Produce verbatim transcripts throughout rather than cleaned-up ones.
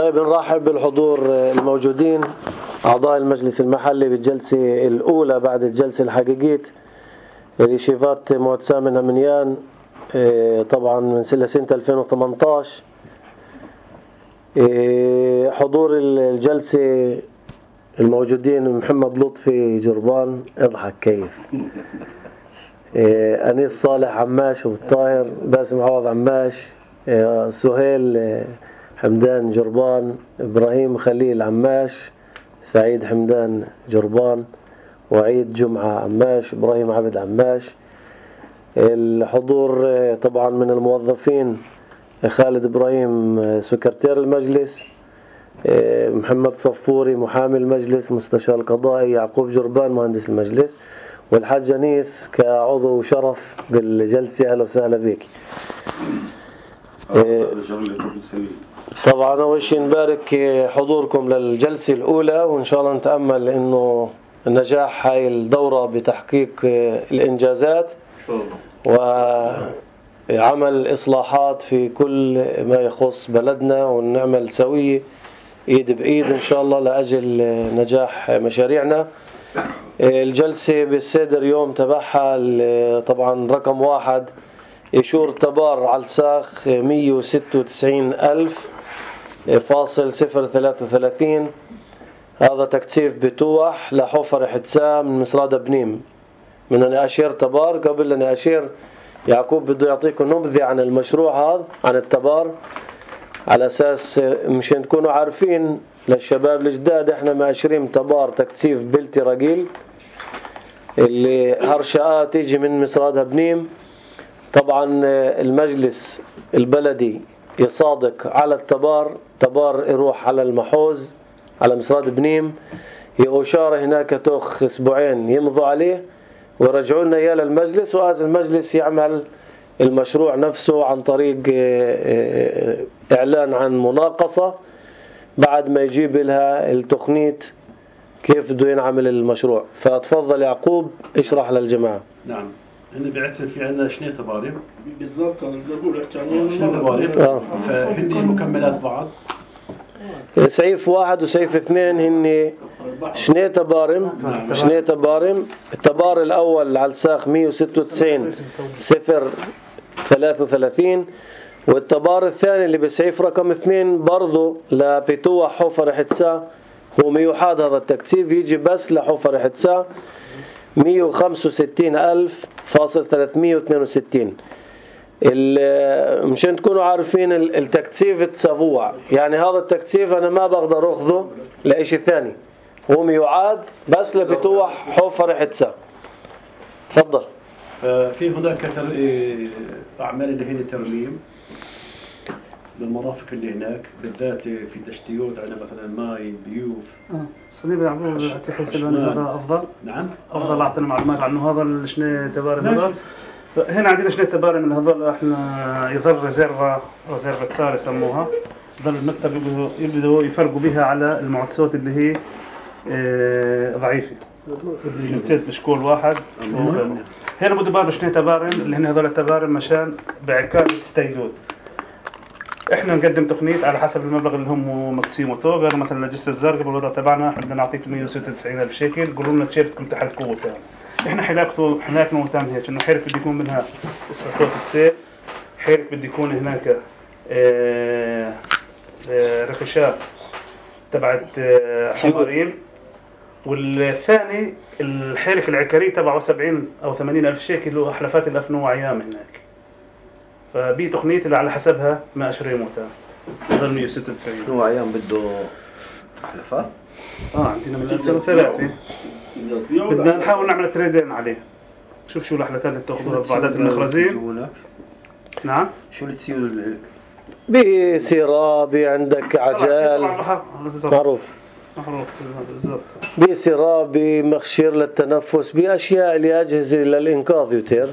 طيب نرحب بالحضور الموجودين أعضاء المجلس المحلي بالجلسة الأولى بعد الجلسة الحقيقية لشيفات معتصم من أمنيان طبعا من سنة ألفين وثمانية عشر. حضور الجلسة الموجودين محمد لطفي جربان اضحك كيف أنيس صالح عماش والطاهر باسم عوض عماش سهيل حمدان جربان إبراهيم خليل عماش سعيد حمدان جربان وعيد جمعة عماش إبراهيم عبد عماش. الحضور طبعا من الموظفين خالد إبراهيم سكرتير المجلس، محمد صفوري محامي المجلس مستشار القضائي، يعقوب جربان مهندس المجلس، والحاج أنيس كعضو شرف بالجلسة. أهلا وسهلا بك. طبعا أول شيء نبارك حضوركم للجلسة الأولى، وإن شاء الله نتأمل إنه نجاح هاي الدورة بتحقيق الإنجازات وعمل إصلاحات في كل ما يخص بلدنا، ونعمل سوية إيد بإيد إن شاء الله لأجل نجاح مشاريعنا. الجلسة بالسادر يوم تبعها طبعا رقم واحد إيشور تبار على الساخ مية وستة وتسعين ألف فاصل صفر ثلاثة وثلاثين. هذا تكثيف بتوح لحفر حتسام من مصرادة بنيم. من أنا أشير تبار قبل أن أشير يعقوب بده يعطيكم نبذة عن المشروع هذا عن التبار على أساس مشان تكونوا عارفين للشباب الجداد. احنا ماشرين تبار تكثيف بلتي رجيل اللي هرشاءات تيجي من مصرادة بنيم. طبعا المجلس البلدي يصادق على التبار، تبار يروح على المحوز على مصراد بنيم، يأشار هناك توخ اسبوعين يمضوا عليه ويرجعوا لنا اياه للمجلس، وهذا المجلس يعمل المشروع نفسه عن طريق اعلان عن مناقصة بعد ما يجيب لها التخنيت كيف بده ينعمل المشروع. فتفضل يعقوب اشرح للجماعة. نعم، هن بعث في عندنا شنية تبارم بالضبط. انا بدي اقول احكي عنهم شنية تبارم فهن مكملات بعض. سيف واحد وسيف اثنين هن شنية تبارم. شنية تبارم. التبار الأول على الساخ مية وستة وتسعين صفر ثلاثة وثلاثين، والتبار الثاني اللي بسيف رقم اثنين برضو لبتوح حفر حتسا هو ميوحاد. هذا التكثيف يجي بس لحفر حتسا مية وخمسة وستين ألف فاصل ثلاثمية واثنين وستين. مشان تكونوا عارفين التكثيف التسابوع، يعني هذا التكثيف أنا ما بقدر أخذه لإشي ثاني، هو ميوعاد بس لبتوح حفر حتسا. تفضل. في هناك أعمال اللي هي ترميم بالمرافق اللي هناك بالذات في تشتيات على مثلا ماي بيوف. اه صليب يعقوب تحس انه هذا افضل. نعم افضل اعطينا معلومات عنه هذا الشنو تبارم هذا. هنا عندنا شنو تبارم من هذول احنا يظل ريزيرفا ريزيرفا تسار يسموها. ظل المكتب يبدوا يفرقوا بها على المعطسات اللي هي اه ضعيفه اللي نسيت بشكول واحد. هنا بده باب شنو تبارم اللي هن هذول التبارم مشان بعكاز تستيدود. احنا نقدم تقنيات على حسب المبلغ اللي هم مقسيمته. غير مثلا لجسة الزرقاء بالوضع تبعنا احنا بدنا نعطيك مية وستة وتسعين ألف شيكل. قولوا لنا تيشيرتكم تحت قوة تاني. احنا حلاقته حلاقنا وتام هيك انه حيرك بدي يكون منها استطاعة تسير، حيرك بدي يكون هناك اه اه رخشات تبعت اه حمارين، والثاني الحيرك العكري تبعه سبعين او ثمانين ألف شيكل وحلفات الأفنو وعيام هناك. فبي تقنية اللي على حسبها ما أشري موتا ظل مية وستة وتسعين. هو عيام بده حلفات؟ آه عندنا من ألفين وثلاثة. بدنا نحاول نعمل تريدين عليه. شوف شو الحلفات اللي تأخذها بعدات المخرزين. نعم. شو اللي تسيو بسيرة بي عندك عجال معروف معروف بالضبط. بسيرة بمخشير للتنفس بأشياء لأجهزة للإنقاذ يوتير.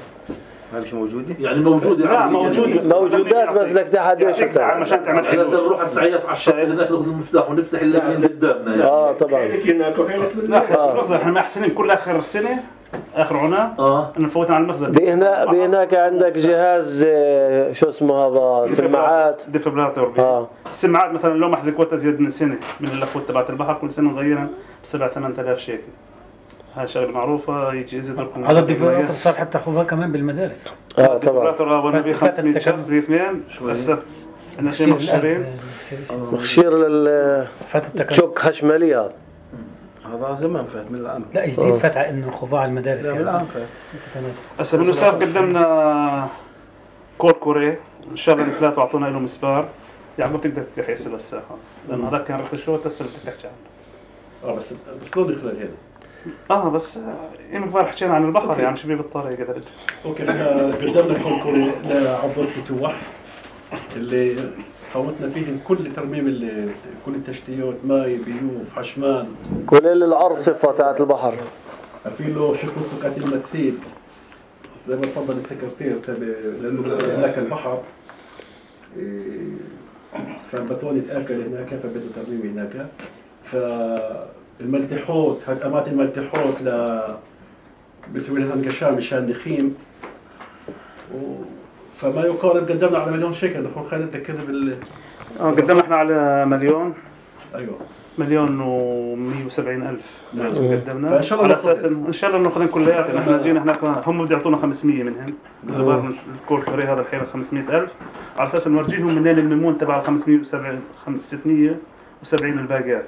ما مش موجودة؟ يعني موجودة. لا موجودة. موجودات بس لك تحد ايش بتاع مشان تعمل احنا بدنا نروح على السعيات على الشارع هناك ناخذ المفتاح ونفتح اللي قدامنا يعني. اه طبعا. لا احنا محسنين كل اخر السنة اخر عناء اه انه نفوتها على المخزن. بهنا بهناك عندك جهاز آه، شو اسمه هذا سماعات. ديفبراتور. اه السماعات مثلا لو محزق وقت ازيد من سنه من اللفوت تبعت البحر كل سنه نغيرها بسبع ثمان آلاف شيكل. هاي شغله معروفه يجي يزيد لكم. هذا الديفبراتور صار حتى اخوها كمان بالمدارس. اه طبعا. الديفبراتور وانا ب خمسمية شخص ب اثنين هسه انا شيء مخشرين مخشير لل شوك خشمالي هذا. هذا زمان فات من العام. لا جديد فتح انه خضاع المدارس لا من يعني. العام فات. هسه بالنسبه قدمنا كور كوري ان شاء الله الثلاثه اعطونا له مسبار. يعني ما بتقدر تفتح يسال الساحه لانه هذاك كان رخص شو تسال بدك تحكي عنه. اه بس بس لو دخل هنا. اه بس يوم كبار حكينا عن البحر أوكي. يعني شو بيه بالطريقه كذا. اوكي احنا قدمنا كل كوري لعبر فتوح اللي فوتنا فيهم كل ترميم اللي كل التشتيات ماي بيوف حشمان كل الأرصفة تاعت البحر. في له شكل سكات المتسيل زي ما تفضل السكرتير تبع لانه بس هناك البحر إيه، فالبتون يتاكل هناك فبده ترميم هناك. فالملتحوت هاد اماكن الملتحوت ل بتسوي لها انقشام مشان نخيم و... فما يقارب قدمنا على مليون شيكل. اخو خالد ذكرني بال اه قدمنا احنا على مليون ايوه مليون ومية وسبعين ألف نعم. قدمنا فإن شاء الله على ناخذ. أساس إن شاء الله ناخذ كلياتنا. احنا جينا هناك هم بده يعطونا خمسمية منهم بالبار الكور كوري هذا الحين خمسمية ألف على أساس نورجيهم منين الميمون تبع خمسمية وسبعين ستمية وسبعين الباقيات.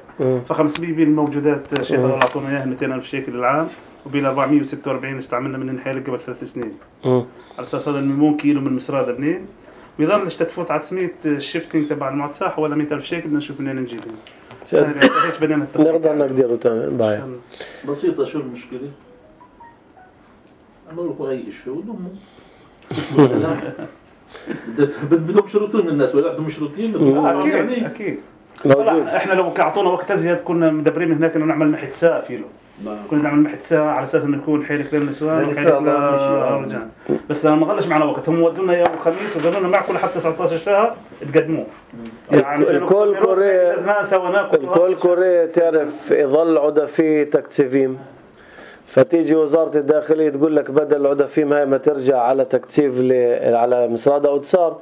فخمسمية بالموجودات شيخ الله أعطونا إياها مئتين ألف شيكل العام وبال أربعمية وستة وأربعين استعملنا من الحيل قبل ثلاث سنين. على أساس هذا الميمون كيلو من مسراد بنين ويظل تفوت على تسمية الشيفتنج تبع المعتصة حوالي مئة ألف شيكل بدنا نشوف منين نجيبهم. هيك بدنا نقدر نقدره تاني بايع. بسيطة. شو المشكلة؟ أنا أقول هاي شو ضمه بدهم شروطين الناس ولا بدهم شروطين؟ أكيد يعني أكيد. موجود. احنا لو اعطونا وقت ازيد كنا مدبرين هناك انه نعمل محت ساعه فيلو. كنا نعمل محت ساعه على اساس انه يكون حيلك للنسوان وحيلك للرجال. بس لما ما غلش معنا وقت هم ودونا يوم الخميس وقالوا لنا معكم لحتى تسعة عشر شهر تقدموه. يعني الكل كوري الكل كوري تعرف يظل عدفي تكتيفيم. فتيجي وزارة الداخلية تقول لك بدل العدفيم هاي ما ترجع على تكتيف على مسراد أوتسار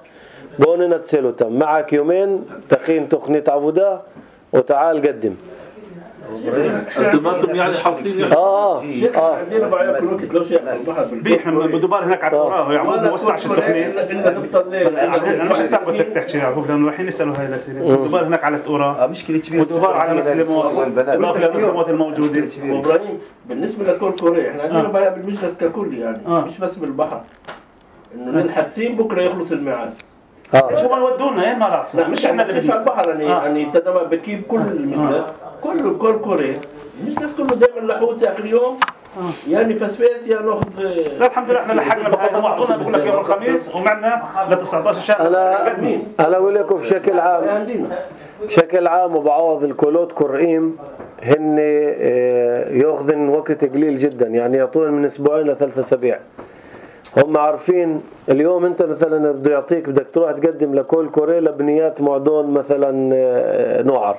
بوننا تسيلو تم معك يومين تخين تخنية عبودة وتعال قدم. انتم ما انتم يعني حاطين اه اه عندنا بعيا كل وقت لو شيء البحر بيحنا بدوبار هناك على التراب يعقوب ما وسعش التخنيط. انا مش استقبل بدك تحكي يعقوب لانه رايحين يسالوا هاي الاسئله. بدوبار هناك على التراب مشكلة كبيرة. ودوبار على مسلمات اضافه للمسلمات الموجوده. وابراهيم بالنسبه لكل كوريا احنا عندنا بعيا بالمجلس ككل يعني مش بس بالبحر انه ننحتين بكره يخلص الميعاد. اه شو ما يودونا ايه ما راس لا مش احنا اللي على البحر يعني آه. يعني تدمر بكيب كل المجلس كله كل كوريا المجلس كله دائما لحوس اخر يوم يعني فسفاس يا ناخذ. لا الحمد لله احنا لحقنا بهاي واعطونا بقول لك يوم الخميس ومعنا ل تسعة عشر شهر. انا انا اقول لكم بشكل عام بشكل عام وبعوض الكولوت كرئيم هن ياخذن وقت قليل جدا يعني يعطون من اسبوعين لثلاث اسابيع. هم عارفين اليوم انت مثلا بده يعطيك بدك تروح تقدم لكول كوري لبنيات معدون مثلا نوعر.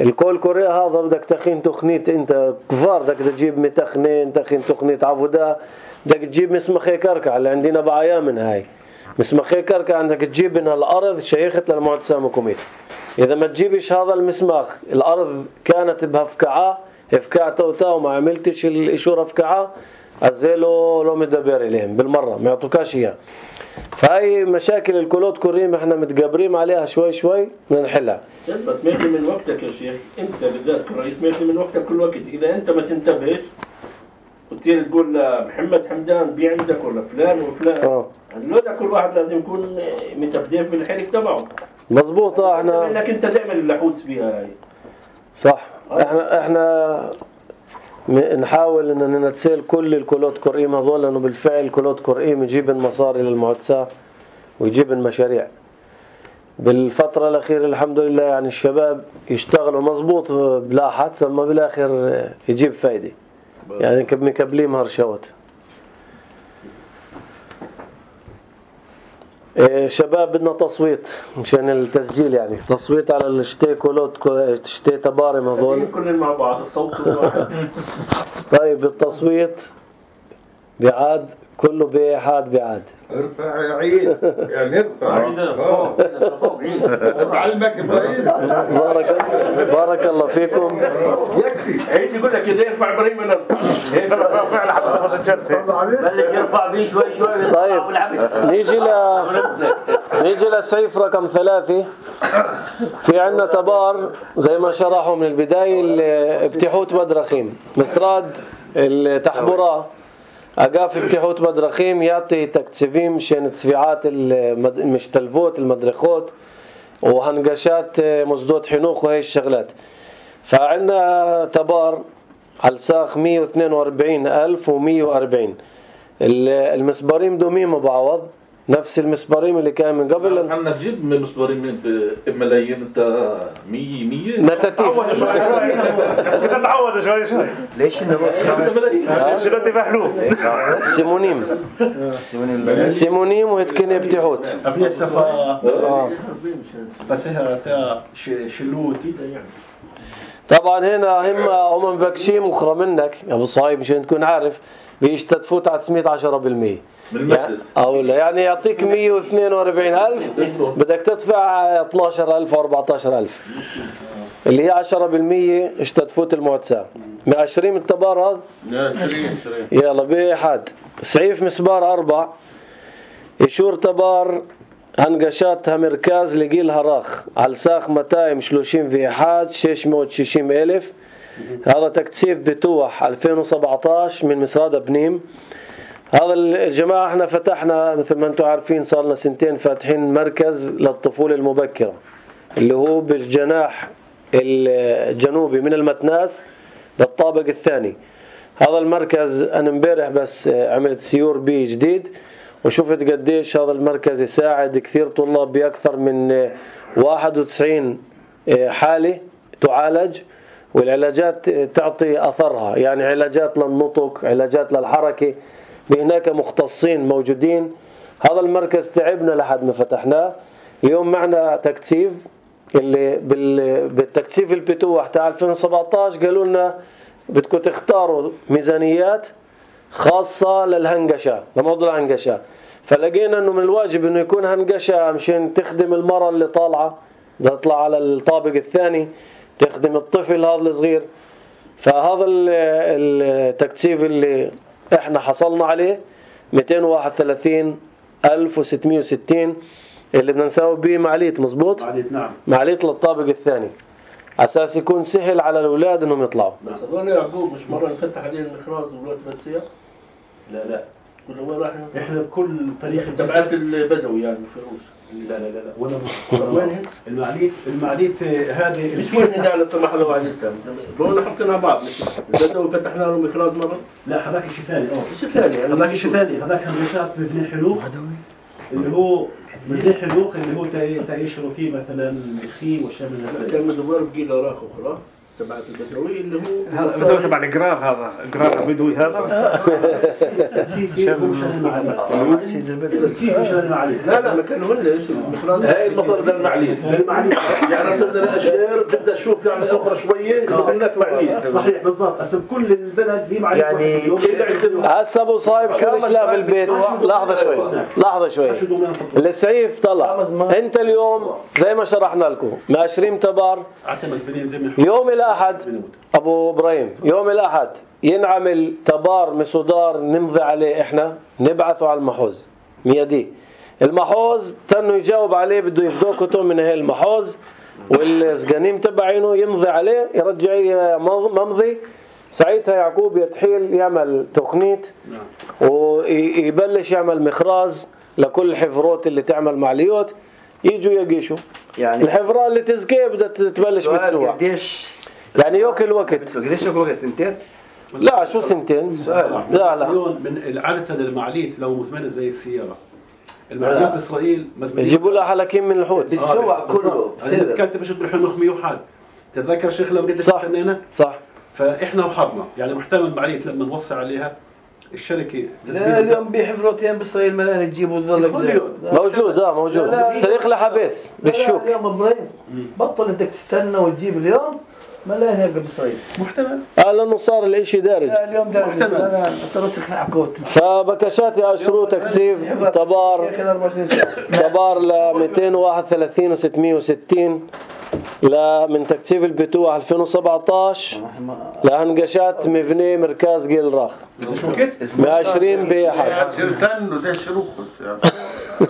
الكول كوري هذا بدك تخين تخنيت انت كفار بدك تجيب متخنين تخين تخنيت عبودة بدك تجيب مسمخي كركع اللي عندنا بعيا من هاي مسمخي كركع عندك تجيب منها الارض شيخت للمعتصة مكوميت. اذا ما تجيبش هذا المسمخ الارض كانت بهفكعة هفكعة توتا وما عملتش الاشورة هفكعة عزيلو لو مدبر إليهم بالمرة ما يعطوكاش إياه. فهي مشاكل الكولوت كوريم احنا متقابرين عليها شوي شوي بدنا نحلها. بس ماكل من وقتك يا شيخ انت بالذات كرئيس ماكل من وقتك كل وقت اذا انت ما تنتبهش وتصير تقول لمحمد حمدان بيع عندك ولا فلان وفلان اه هذول كل واحد لازم يكون متفديف بالحرك تبعه. مظبوط. احنا انك انت دائما اللحوس فيها هاي صح. احنا احنا نحاول ان نتسيل كل الكولوت كوريم هذول لانه بالفعل كولوت كوريم يجيب المصاري للمعتصة ويجيب المشاريع. بالفترة الأخيرة الحمد لله يعني الشباب يشتغلوا مظبوط بلا حدث اما بالاخر يجيب فايدة يعني مكبلين هرشوت. شباب بدنا تصويت مشان التسجيل يعني تصويت على الشتي كولوت شتي تبارم هذول كلنا مع بعض الصوت واحد. طيب التصويت بعاد كله بحاد بعاد. ارفع عيد يعني ارفع بعلمك ابراهيم. بارك بارك الله فيكم. يكفي عيد يقول لك اذا يرفع ابراهيم من هيك رافع لحد تخلص الجلسه بلش يرفع بيه شوي شوي. طيب نيجي ل نيجي للسيف رقم ثلاثة. في عندنا تبار زي ما شرحوا من البداية بتيحوت بدرخيم مسراد التحبرة أقاف بتيحوت بدرخيم يعطي تكتسفيم شين تسفيعات المشتلفوت المدرخوت وهنقشات مزدوت حنوخ وهي الشغلات. فعندنا تبار على الساخ مية واثنين وأربعين ألف ومية وأربعين. المسبارين دومين بعوض نفس المسبارين اللي كان من قبل. عندنا تجيب مسبارين من بملايين انت مية مية نتاتيف تتعود شوي شوي. ليش نروح شنو تفحلوه سيمونيم سيمونيم وهتكني بتيحوت ابني السفا بس هي تا شلوت يعني. طبعا هنا هم هم مبكشين مخرى منك يا ابو صايب مشان تكون عارف بيشتدفوا تسعمية عشرة بالمية يعني او لا يعني يعطيك مية واثنين وأربعين ألف بدك تدفع اثني عشر ألف او أربعة عشر ألف اللي هي عشرة بالمية اشتدفوت المعتسى. عشرين التبار هذا يلا بحد سعيف مسبار أربع يشور تبار هنقشاتها مركز لقيلها راخ على الساخ متايم شلوشين في حاد ششمية وششيم ألف. هذا تكتسيف بتوح ألفين وسبعة عشر من مسراد بنيم. هذا الجماعة احنا فتحنا مثل ما انتم عارفين صار لنا سنتين فاتحين مركز للطفولة المبكرة اللي هو بالجناح الجنوبي من المتناس للطابق الثاني. هذا المركز انا امبارح بس عملت سيور بيه جديد وشفت قديش هذا المركز يساعد كثير طلاب بأكثر من واحد وتسعين حالة تعالج والعلاجات تعطي أثرها يعني علاجات للنطق علاجات للحركة بهناك مختصين موجودين. هذا المركز تعبنا لحد ما فتحناه. اليوم معنا تكتيف اللي بالتكتيف البتوح تاع ألفين وسبعة عشر قالوا لنا بدكم تختاروا ميزانيات خاصة للهنقشة لموضوع الهنقشة. فلقينا انه من الواجب انه يكون هنقشة مشان تخدم المرأة اللي طالعة تطلع على الطابق الثاني تخدم الطفل هذا الصغير. فهذا التكتيف اللي احنا حصلنا عليه مئتين وواحد وثلاثين ألف وستمية وستين اللي بدنا نساوي به معليت مزبوط معليت نعم معليت للطابق الثاني اساس يكون سهل على الاولاد انهم يطلعوا. بس هذول يعقوب مش مرة نفتح عليه المخراز والوقت فتسيا لا لا كل وين راح احنا بكل طريق تبعات البدوي يعني الفروس. لا لا لا لا ولا وين المعليت المعليت هذه مش وين هنا على سمح الله وعليتها بقولنا حطينا بعض مش البدوي فتحنا له مخراز مرة. لا هذاك شيء ثاني اه شيء ثاني هذاك شيء ثاني هذاك هنشات ببني حلوخ اللي هو ببني حلوخ اللي هو تعيشوا فيه مثلا الخيم والشيء من هذا كان مدور بقي له راخ وخلاص تبعت البدوي اللي هو هذا تبع القرار هذا القرار البدوي هذا لا لا ما كانوا هن ايش المخراز هاي المصدر ده المعليت يعني صرنا الاشجار بدنا نشوف يعني اخرى شويه هناك معليت صحيح بالضبط هسه بكل البلد في معليت يعني هسه ابو صايب شو الاشلاء بالبيت لحظه شوي لحظه شوي السعيف طلع انت اليوم زي ما شرحنا لكم ماشرين تبار يوم الأحد أبو إبراهيم يوم الأحد ينعمل تبار مسودار نمضي عليه إحنا نبعثه على المحوز ميادي. المحوز تنو يجاوب عليه بده يفدوه كتب من هاي المحوز والسقانيم تبعينه يمضي عليه يرجع ممضي. ساعتها يعقوب يتحيل يعمل تقنيت ويبلش يعمل مخراز لكل الحفروت اللي تعمل معليوت يجوا يقيشوا يعني الحفرة اللي تزكيه بدها تبلش بتسوع قديش يعني يوكل وقت قديش يوكل وقت سنتين لا شو سنتين لا لا من عادة المعليت لو مزمنة زي السيارة المعليات بإسرائيل مزمنين يجيبوا لها حلقين من الحوت بتسوع كله أنا كانت بشوف بحنوخ مية وحد تتذكر شيخ لو بديت صح تستنينا صح فإحنا وحظنا يعني محتمل معليت لما نوصي عليها الشركة لا اليوم بحفرتين بإسرائيل ملان تجيبوا ظل موجود اه موجود سريق لها بس بالشوك اليوم ابراهيم بطل انك تستنى وتجيب اليوم ما لا هيك بإسرائيل محتمل. آه لأنه صار الاشي دارج. لا اليوم ده محتمل. أنا ترسخ حكوت فبكشات يا شروط تكثيف تبار تبار ل مئتين وواحد وثلاثين وستمئة وستين لا من تكثيف البتوع ألفين وسبعطعش لهنقشات مبنى مركز جيل راخ شو كده؟ مئة وعشرين بأحد. استنوا ده شروط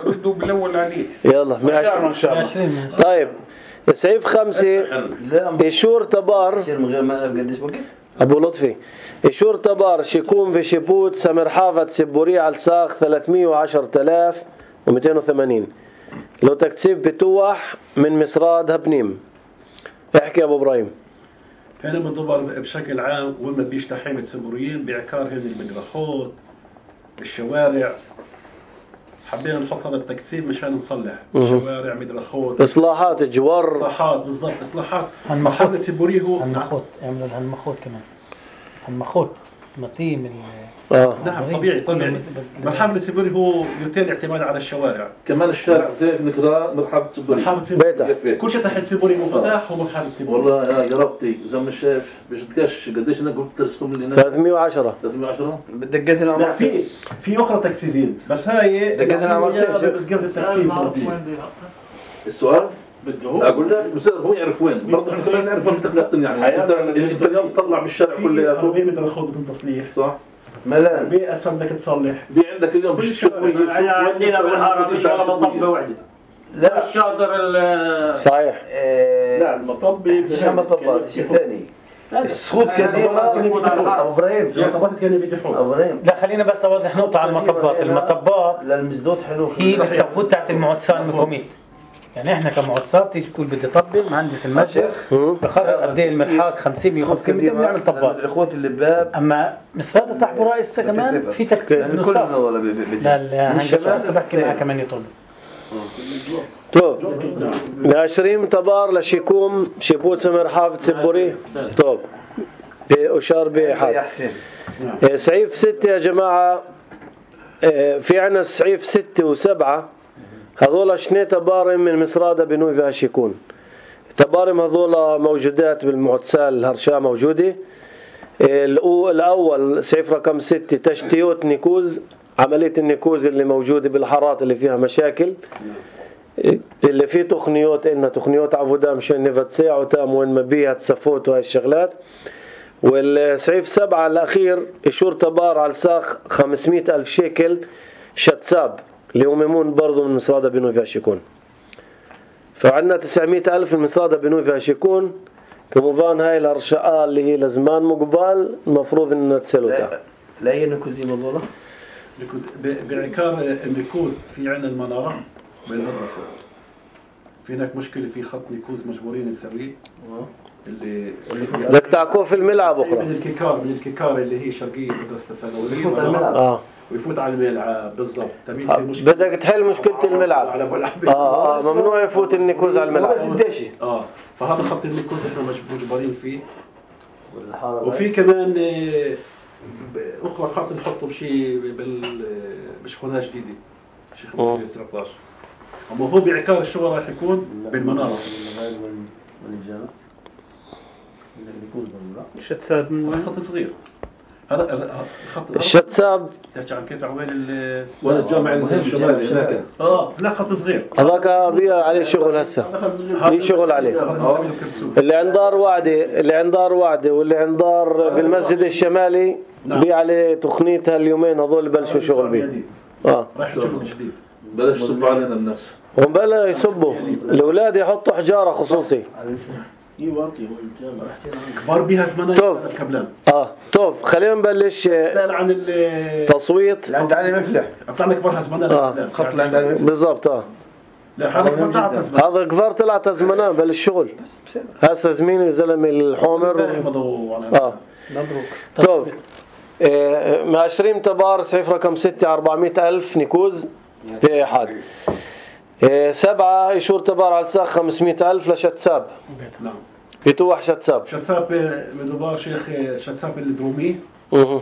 ردوا بالاول عليه. يلا مئة وعشرين. طيب سعيف خمسة إشور تبار من غير ما قديش وقت أبو لطفي إشور تبار شيكون في شيبوت سمر حافظ سبوري على الساخ ثلاثمئة وعشرة آلاف ومئتين وثمانين لو تكثيف بتوح من مصراد هبنيم. احكي يا أبو إبراهيم. هنا بنضبر بشكل عام وين ما بيش تحريم السبوريين بعكار هن المدرخات الشوارع. حبينا نحط هذا التكثيف مشان نصلح شوارع مدرخات إصلاحات جوار إصلاحات بالضبط إصلاحات. هالمخوت مرحلة سبوريه هو هالمخوت يعملوا هالمخوت كمان هالمخوت مطيم آه. نعم طبيعي طبيعي. مرحلة سبوريه هو يتم الاعتماد على الشوارع. كمان الشارع زي نقرا مرحبا سبوري. مرحلة سبوريه كل شيء تحت سبوريه مفتاح هو مرحلة سبوريه. والله يا يا ربطي زي ما شايف بيجدكش قديش انا قلت ترسكم لي ثلاثمئة وعشرة ثلاثمئة وعشرة بدقات لا العمر في في أخرى تكثيفين بس هاي دقات العمر بس قبل التكثيف. السؤال اقول لك بصير هو يعرف وين برضه احنا كلنا نعرف وين تقنعتني يعني انت انت اليوم تطلع بالشارع في كله عربية مدرخات بدون تصليح. صح ملان عربية أسفل بدك تصلح. في عندك اليوم بالشارع احنا عندنا بالحاره مش ولا مطبه وحده. لا الشاطر ال صحيح. لا المطبي مش مطبات شيء ثاني السخوت كثيرة أبو إبراهيم المطبات كانوا بيتحون. أبو إبراهيم لا خلينا بس أوضح نقطة على المطبات. المطبات للمزدود حلو هي بالصفوت تاعت المعتصام المقومين. يعني احنا كمعتصام تيجي تقول بدي طبل مهندس المسجد بقرر قد ايه المرحاض خمسين مئة وخمسين متر بنعمل طبات. الاخوات اللي بباب اما مصطاد تحت رئيسه كمان في تكثيف يعني كل من ولا لا لا هنجي بحكي معاه كمان يطول. طب عشرين تبار لشيكوم شيبوت سمر حافظ سبوري. طب أشار بحال سعيف ستة يا جماعة. في عنا سعيف ستة وسبعة هذول شني تبارم من مصرادة بنوي فيها شيكون. تبارم هذول موجودات بالمعتسال الهرشاء موجودة. الأول سعيف رقم ستة تشتيوت نيكوز عملية النيكوز اللي موجودة بالحارات اللي فيها مشاكل اللي فيه تقنيات إنها تقنيات عبودة مشان نفتسيع وتام وين ما بيها تسفوت وهاي الشغلات. والسعيف سبعة الأخير إشور تبار على الساخ خمسمئة ألف شيكل شتساب اللي هم يمون برضو من مصرادة بنوي فيها شيكون. فعندنا تسعمئة ألف من مصرادة بنوي فيها شيكون. كمضان هاي الأرشاء اللي هي لزمان مقبال المفروض إنها تسلوتها. لا هي نكوزي مظلة نكوز بعكار النكوز في عنا المنارة بالمدرسة. في هناك مشكلة في خط نكوز مجبورين نسويه. اللي بدك تعكوه في الملعب أخرى. من الكيكار من الكيكار اللي هي شرقية مدرسة الثانوية. يفوت على الملعب. آه. ويفوت على الملعب بالضبط. آه. بدك تحل مشكلة الملعب. آه آه ممنوع يفوت النكوز على الملعب. آه فهذا خط النكوز إحنا مجبورين فيه. وفي كمان أخرى خط نحطه بشيء بال بشغلة جديدة شيء خمسمئة وتسعة عشر. أما هو بعكار الشغل راح يكون بالمنارة. الشتساب من وين؟ خط صغير. هذا خط الشتساب تحكي عن كيف عوين ال ولا الجامع الشمالي هناك. اه لا خط صغير. هذاك بيا عليه شغل هسه. في شغل عليه. اللي عند دار وعدة اللي عند دار وعدة واللي عند دار بالمسجد الشمالي بي عليه تقنيتها اليومين هذول بلشوا شغل بيه. اه راح شغل جديد. بلاش يصبوا علينا الناس. هم بلا يصبوا الأولاد يحطوا حجارة خصوصي. كبار بيها زمانات الكبلان. اه طب خلينا نبلش سأل عن التصويت. عند علي مفلح أطلع كبار زمانات آه. الخط اللي عند علي بالضبط اه لا هذا كبار طلعت زمان. هذا كبار طلعت زمانه بالشغل. هسه زميلي الزلمه الحومر اه مبروك. طب آه مع عشرين تبار سعيف رقم ستة أربعمئة ألف نيكوز في أحد. آه سبعة إشور تبار على الساخ خمسمئة ألف لشتساب. نعم. بتوح شتساب. شتساب مدوبار شيخ شتساب الدرومي. اها.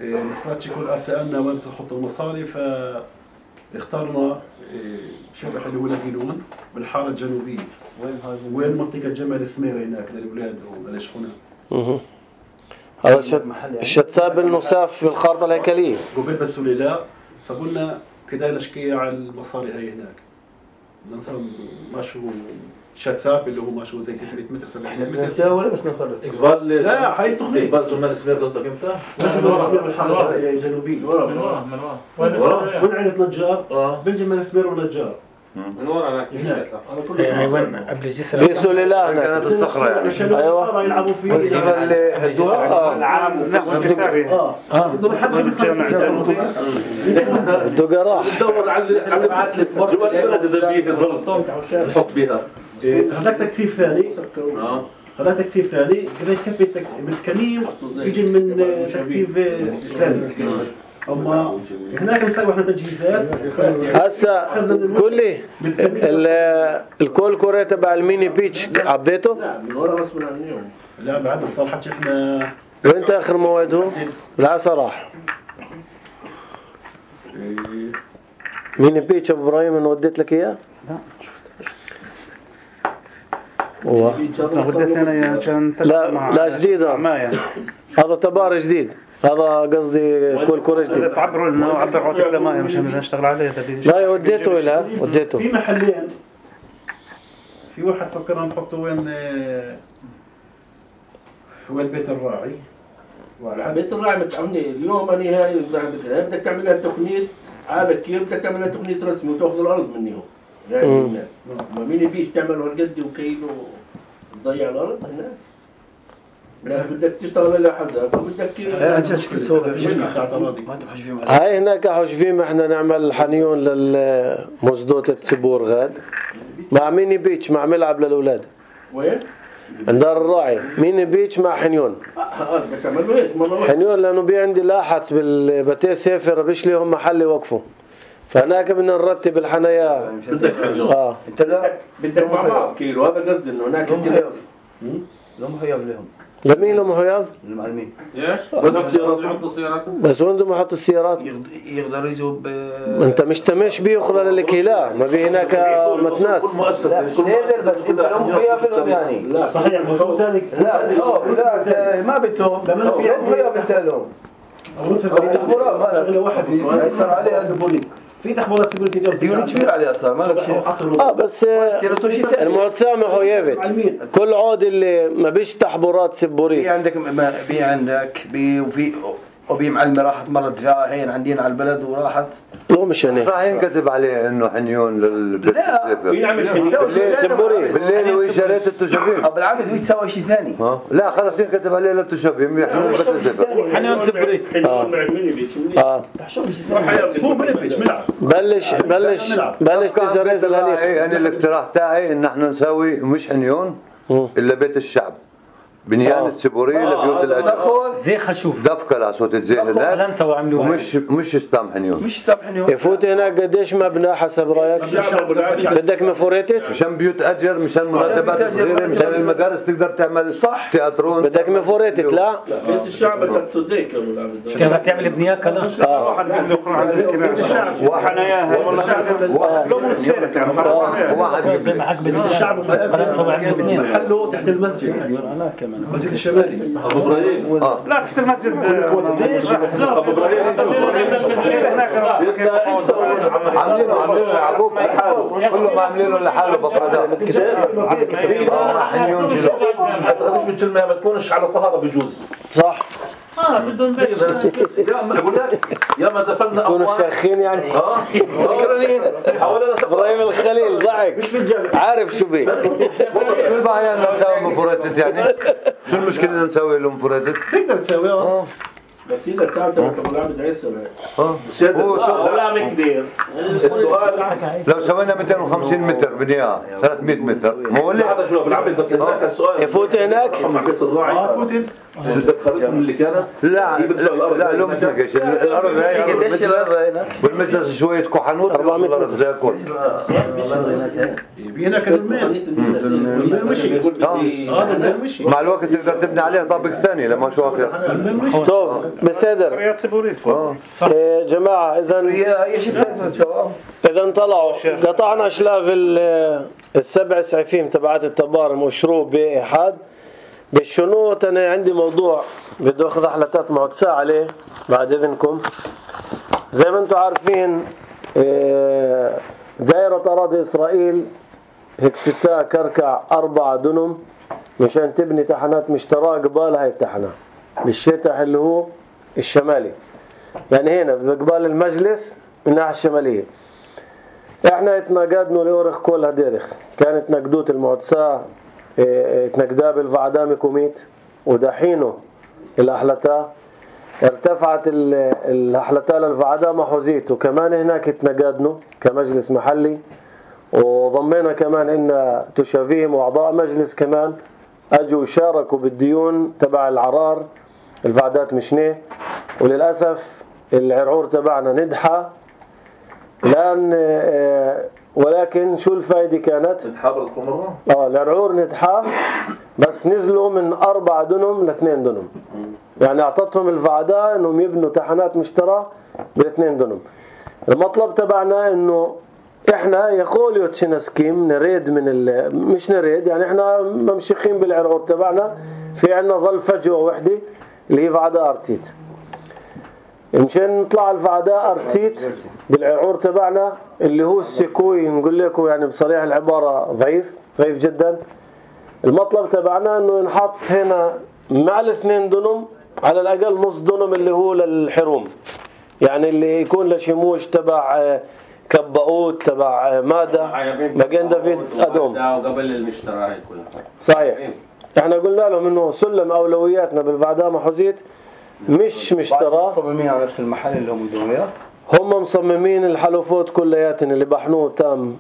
مستراتش يكون أسألنا وين تحط المصاري ف اخترنا شبح اللي هو لاجينون بالحاره الجنوبيه. وين منطقه جمال سمير هناك للاولاد وللشخونه. اها هذا الشت الشتساب النساف في الخارطه الهيكليه. قبل بس لا فقلنا كده نشكي على المصاري هاي هناك. بدنا نسوي ماشو شتساب اللي هو ماشو زي ستمية متر سبعمية متر. نساوي بس نخرج. اقبال لا هاي التخميد. اقبال جمال سمير قصدك امتى؟ جمال سمير بالحاره الجنوبيه. من ورا من ورا من ورا وين عيلة نجار؟ بين جمال سمير ونجار. من ورا هناك. ايوه قبل الجسر في سليلة هناك. كانت الصخرة يعني. ايوه يلعبوا فيه. والزمن اللي هدوها. العام لا الجساري اه اه الجامع الجنوبي الدقراح. ندور على على بعات السبورت جوا البلد اذا بيه الضغط نحط بيها. هذاك تكثيف ثاني. اه هذا تكثيف ثاني كذا يكفي بالتكنيم يجي من تكثيف ثاني. اما هناك نسوي احنا تجهيزات. هسه قول لي الكول كوري تبع الميني بيتش عبيته؟ لا من ورا غصب عنهم. لا بعد صراحة احنا وين اخر موعده؟ لا صراحة ميني بيتش ابو ابراهيم انا وديت لك اياه؟ لا والله وديت انا عشان لا لا جديد هذا تبار جديد. هذا قصدي كل كورة جديد. تعبروا لنا وعبر عوتك لما مشان نشتغل عليه. لا وديته لها وديته. في محلين في واحد فكرنا نحطه وين وين بيت الراعي. بيت الراعي متعمني اليوم أنا هاي بدك تعمل لها تقنية عادة كيف بدك تعمل لها تقنية رسمي وتأخذ الأرض منهم. يعني ما مين يبيش تعمله هالقد وكيلو تضيع الأرض هناك. لا بدك تشتغل على حزب وبدك هاي هناك حجفيم احنا نعمل حنيون للمزدوطة سبور غاد مع ميني بيتش مع ملعب للأولاد. وين؟ عندار الراعي ميني بيتش مع حنيون. حنيون لأنه بي عندي لاحظ بالبتي سافر بيش ليهم محل يوقفوا فهناك بدنا نرتب الحنايا. بدك حنيون. اه انت لا بدك مع بعض كيلو هذا قصدي انه هناك انت لهم حياب لهم. لمين لهم حياب؟ المعلمين. ليش؟ بدك سيارات يحطوا سيارات. بس وين بدهم يحطوا السيارات؟ يقدروا يجوا ب. انت مش تمش بيه خلال الكيلا ما في هناك متناس. لا سيدر بس انت لهم حياب لهم يعني. لا صحيح بخصوص هذيك. لا لا ما بدهم. لهم حياب انت لهم. تخبرات ما شغله واحد يصير عليها زبوني. في تخبرات سيكوريتي اليوم ديوني كبير عليها صار ما لك شيء. اه بس المعتصم حيابت كل عود اللي ما بيش تحبورات سبوريت. بي عندك بي عندك بي وفي وبي معلمة راحت مرت جاهين عندنا على البلد وراحت. لو مش هني. راح ينكتب عليه انه حنيون للبيت السفر. بيعمل حنيون سبوريت. بالليل وإشارات التشابين. أو بالعمد هو يسوي شيء ثاني. ها لا خلاص ينكتب عليه للتشابين يحنون بيت السفر. حنيون سبوريت. حنيون مع الميني بيتش. اه. هو ميني بيتش ملعب. بلش بلش بلش تزرز الهليق. يعني الاقتراح تاعي ان احنا نسوي مش حنيون الا بيت الشعب. بنيان سبوري لبيوت الاجر زي خشوف دفكه لصوت الزي هناك ومش مش استام حنيون مش استام حنيون يفوت هناك قديش مبنى حسب رايك بدك مفوريتت مشان بيوت اجر مشان مناسبات صغيره مشان المدارس تقدر تعمل صح تياترون بدك مفوريتت لا بيت الشعب بدك تصدق كيف بدك تعمل بنية كلا واحد بده يخرج على الكنائس وحناياها والله لو من سيرت يعني واحد معك بنت الشعب محله تحت المسجد انا كمان المسجد الشمالي. ابو ابراهيم لا تحت المسجد ابو ابراهيم عاملينه عاملينه يعقوب كلهم عاملينه لحاله بفرادات حنيون جلو مش بتشلمها ما تكونش على طهاره بجوز صح اه بدهم بيت يا ما اقول لك يا ما دفلنا كونوا شاخين يعني اه حوالينا ابراهيم الخليل ضحك عارف شو بيه شو البعيان نسوي مفردات يعني شو المشكله ان نسوي لهم مفردات تقدر تسويها بس إذا ساعتها تقول عبد عيسى اه ولا مكدير السؤال لو سوينا مئتين وخمسين متر بنيها ثلاثمئة متر مو اللي هذا شو بالعبد بس هناك السؤال يفوت هناك مع بيت الراعي اه فوت الخريطة اللي كانت لا لا لو متنقش الارض هاي قديش الارض هنا والمسس شويه كحنوت أربعمئة الارض زي الكل يبي هناك الميل مشي هذا الميل مشي مع الوقت تقدر تبني عليه طابق ثاني لما شو اخر طب بصدر قريات سبوريت فوق. إيه جماعة إذا إذا طلعوا قطعنا شلاف السبع سعفيم تبعات التبارم وشروب بإحاد بالشنوط. أنا عندي موضوع بدي أخذ أحلتات معتساة عليه بعد إذنكم. زي ما أنتم عارفين دائرة أراضي إسرائيل هيك ستة كركع أربعة دنم مشان تبني تحنات مشتراه قبال هاي التحنة بالشتح اللي هو الشمالي، يعني هنا بقبال المجلس من الناحية الشمالية. احنا اتناقدنا لأورخ كل هديرخ، كانت نقدوت المعتساة اتنقدا بالفعدا مكوميت ودحينه الأحلتا ارتفعت الأحلتا للفعدا محوزيت، وكمان هناك اتنقدنا كمجلس محلي، وضمينا كمان ان تشافيم واعضاء مجلس كمان اجوا شاركوا بالديون تبع العرار الفعدات مشنيه. وللاسف العرعور تبعنا ندحى الان، ولكن شو الفائده كانت؟ تحابرت كل مره؟ اه العرعور ندحى بس نزلوا من أربعة دنم لاثنين دنم، يعني اعطتهم الفعدا انهم يبنوا تحنات مشترى بالاثنين دنم. المطلب تبعنا انه احنا يقول يوتشنسكيم نريد من ال... مش نريد، يعني احنا ممشيخين بالعرعور تبعنا، في عنا ظل فجوة وحدة اللي هي فعداء أرتسيت. مشان نطلع الفعداء أرتسيت بالعرعور تبعنا اللي هو السكوي، نقول لكم يعني بصريح العبارة ضعيف ضعيف جدا. المطلب تبعنا انه نحط هنا مع الاثنين دنم على الاقل نص دنم اللي هو للحروم، يعني اللي يكون لشموش تبع كباوت تبع ماده مجان دافيد ادوم وقبل المشترى كلها. صحيح. احنا قلنا لهم انه سلم اولوياتنا بالفعداء محوزيت مش مشترى. مصممين على نفس المحل اللي هم دمياط، هم مصممين الحلوفات كلياتن اللي بحنوه تام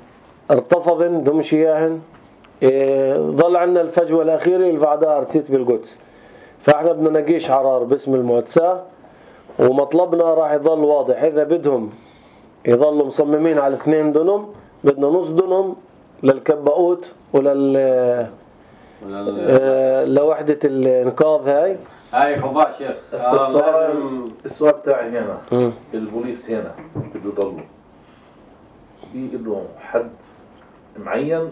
ارتفضن دمشياهن. إيه ظل عنا الفجوه الاخيره الفعداء ارتسيت بالقدس، فاحنا بدنا نقيش عرار باسم المعتساه، ومطلبنا راح يظل واضح. اذا بدهم يظلوا مصممين على اثنين دنم بدنا نص دنم للكباوت ولل آه لوحدة الانقاذ. هاي هاي حباء شيخ. السؤال السؤال تاعي هنا م. البوليس هنا بده يضلوا في له حد معين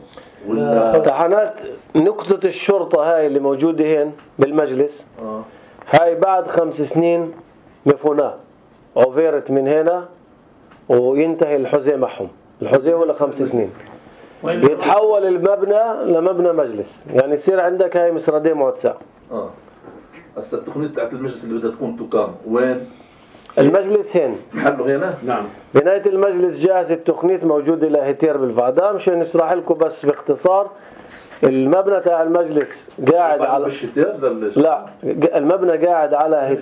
ولا تحنات نقطة الشرطة هاي اللي موجودة هنا بالمجلس آه. هاي بعد خمس سنين مفوناه عفيرت من هنا وينتهي الحزي معهم. الحزي هو لخمس سنين يتحول المبنى لمبنى مجلس، يعني يصير عندك هاي مسردين معتساة. اه هسه التقنية تاعت المجلس اللي بدها تكون تقام وين؟ المجلس هنا محله هنا؟ نعم. بناية المجلس جاهز التقنية موجودة لهتير بالفعداء. مشان نشرح لكم بس باختصار، المبنى تاع المجلس قاعد على لا المبنى قاعد على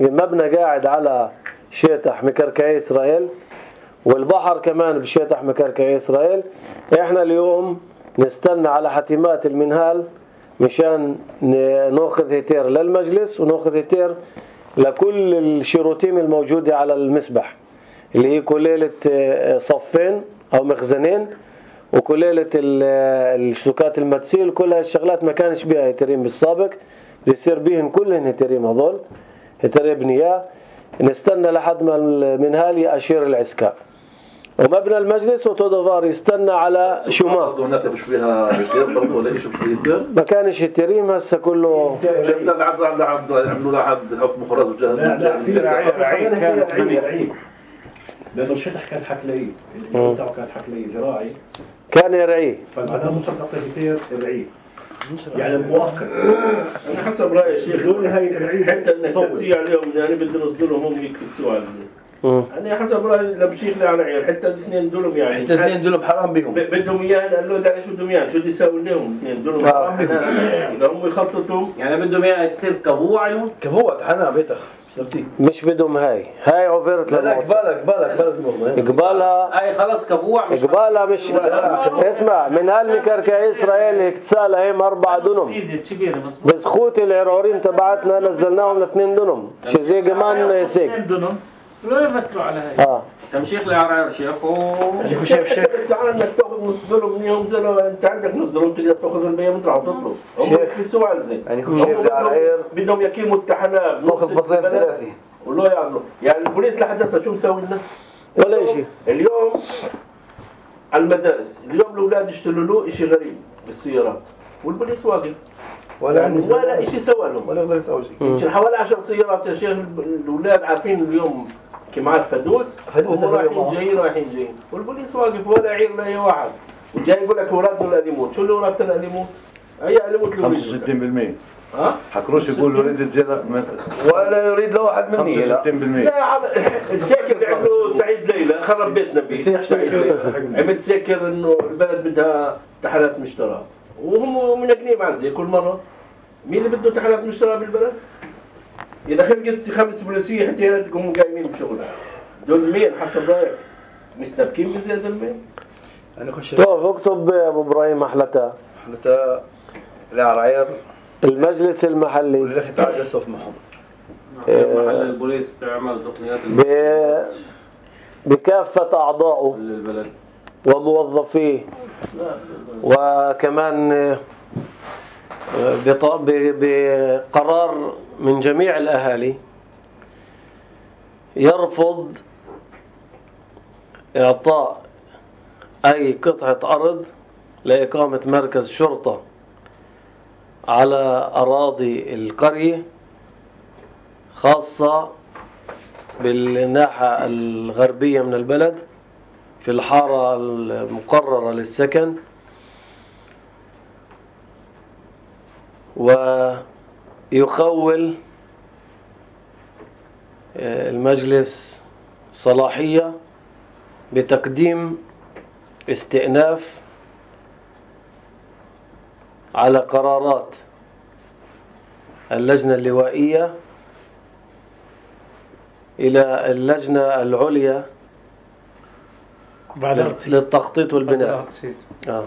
المبنى قاعد على شيطح مكركعي إسرائيل، والبحر كمان بشيطح مكركعي إسرائيل. احنا اليوم نستنى على حتمات المنهال مشان ناخذ هتير للمجلس وناخذ هتير لكل الشروطين الموجودة على المسبح اللي هي كليلة صفين أو مخزنين وكليلة الشتوكات المتسيل. كل هالشغلات ما كانش بيها هتيرين بالسابق، بيصير بيهن كلهن هتيرين هذول هتير بنياه. نستنى لحد ما المنهال يأشير العسكاء، ومبنى المجلس وتودفار يستنى على شمال. هناك مش فيها هتير برضه ولا شيء هتير؟ ما كانش هتيرين هسه كله. شفنا العبد عند عبد عملوا له حد حف مخرج وجهز. لا لا في رعي رعي كانت رعي لأنه الشطح كان حكلي، اليوم تاعه كان حكلي زراعي كان يرعيه، فالمعنى مخصص كثير الرعي يعني مؤقت. أنا حسب رأيي شيخ دول هاي الرعي حتى إنك تسيء عليهم، يعني بدنا نصدرهم هم يكتسوا على زي. أنا حسب رأيي لبشيخ لا رعي حتى الاثنين دولهم يعني حتى الاثنين دولهم حرام بيهم. بدهم إياه قال له ده شو بدهم إياه شو بدي يساوي لهم الاثنين دولهم حرام بيهم. إذا هم يخططوا يعني بدهم إياه تصير كبوة عليهم. كبوة تحنا بيتخ. مش بدهم هاي هاي عفرت لا قبالك قبالك قبالك قبالها هاي خلاص كبوة مش قبالها مش اسمع من هالمكركعي إسرائيل اكتسال هيم أربعة دنم بسخوت العرعورين تبعتنا نزلناهم لاثنين دنم شي زي كمان سيك دنم لا يبتروا على هاي اه تمشيخ لعرعر شيخ و شيخ شيخ شيخ ساعات انك تاخذ نص دولار منهم زي لو انت عندك نص دولار تقدر تاخذ الباقي وتروح تطلب. هم بيفتسوا على زين. يعني كل شيء لعرعر بدهم يقيموا التحنات تاخذ بصير ثلاثي. والله يعذروا. يعني البوليس لحد هسه شو مسوي لنا؟ ولا شيء. اليوم على المدارس، اليوم الاولاد يشتغلوا له شيء غريب بالسيارات والبوليس واقف. ولا يعني ولا شيء سوى لهم ولا يقدر يسوي شيء. يمكن حوالي عشر سيارات يا شيخ الاولاد عارفين اليوم كمان فدوس فدوس رايحين جايين رايحين جايين والبوليس واقف ولا عير لا واحد وجاي يقول لك اورادنا الاليموت. شو اللي اورادنا الاليموت؟ اي اليموت اللي خمسة وستين بالمية. ها؟ حكروش يقول يريد تزيد ولا يريد له واحد مني. خمسة وستين بالمية. لا الساكر عنده سعيد ليلى خرب بيتنا بيه سعيد ليلى عمل ساكر انه البلد بدها تحالات مشترى وهم منقنين عن زي كل مره. مين اللي بده تحالات مشترى بالبلد؟ إذا خلقت خمس بوليسية حتى يردكم قايمين بشغلها. دول مين حسب رأيك؟ مستبكين بزيادة المين؟ أنا خش. طيب اكتب أبو إبراهيم أحلتا. أحلتا العراير. المجلس المحلي. واللي أخي تعال يصف معهم. محل البوليس تعمل تقنيات ب... بكافة أعضائه. للبلد. وموظفيه. وكمان بقرار من جميع الأهالي يرفض إعطاء أي قطعة أرض لإقامة مركز شرطة على أراضي القرية خاصة بالناحية الغربية من البلد في الحارة المقررة للسكن. ويخول المجلس صلاحية بتقديم استئناف على قرارات اللجنة اللوائية إلى اللجنة العليا للتخطيط والبناء. آه.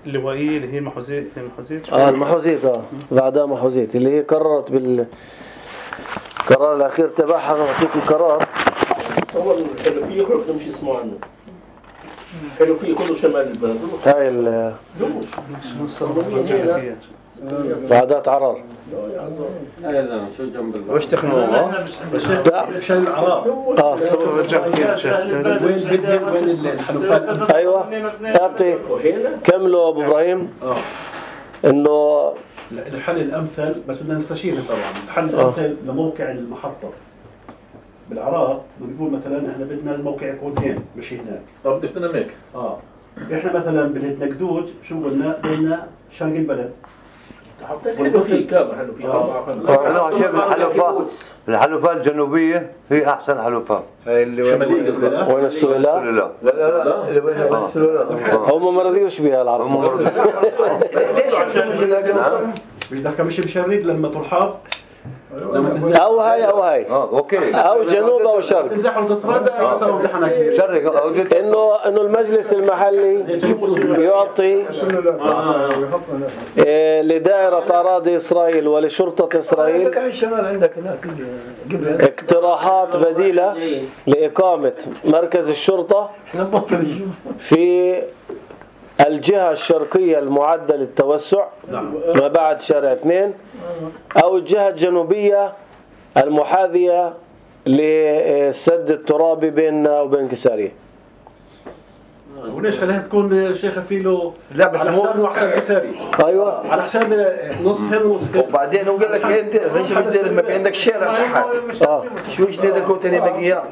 اللوائية اللي هي محوزيت المحوزيت اه المحوزيت اه بعدها محوزيت اللي هي قررت بالقرار الأخير تبعها. نعطيك القرار. تصور الحلفية يخرج تمشي اسمه عنه. الحلفية كله شمال البلد. هاي ال بعدات عرار. لا يا زلمة شو جنب البلد. وش تخنوها؟ شل العرار. اه وين بدهم وين الحلفات. ايوه اعطي كملوا ابو ابراهيم. اه انه الحل الامثل بس بدنا نستشيره طبعا. الحل الامثل لموقع المحطه بالعراق بنقول مثلا احنا بدنا الموقع يكون هين مش هناك. اه بدك تنام هيك. اه احنا مثلا بالنقدود شو قلنا بدنا شرق البلد. حلفية كامل حلفية أربعة خمسة. أنا شايف الحلفاء الحلفاء الجنوبية هي أحسن حلفاء. هاي اللي وين السلالة؟ لا لا لا اللي وين السلالة. هم ما رضيوش بها العرب. ليش عشان بدك مش بشرق لما ترحب او هاي او هاي اه اوكي او جنوب او شرق تزحوا تصرد يسووا امتحانات شرق انه انه المجلس المحلي يعطي لدائرة اراضي اسرائيل ولشرطة اسرائيل اقتراحات بديلة لاقامة مركز الشرطة في الجهة الشرقية المعدة للتوسع ما بعد شارع اثنين أو الجهة الجنوبية المحاذية للسد الترابي بيننا وبين كسارية. وليش خليها تكون شيخة فيلو لا بس على حساب وحساب كساري. أيوة على حساب نص هنا ونص هنا. وبعدين هو قال لك انت ليش مش داير ما في عندك شارع تحت اه شو ايش داير كنت انا باقي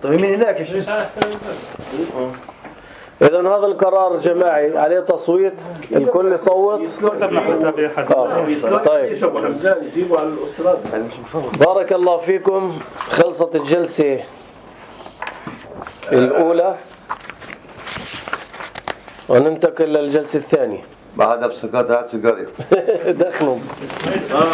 طيب من هناك ايش إذا هذا القرار جماعي عليه تصويت الكل يصوت. آه. طيب بارك الله فيكم. خلصت الجلسة الأولى وننتقل للجلسة الثانية. بعدها بسكات هات سيجارة دخلوا اه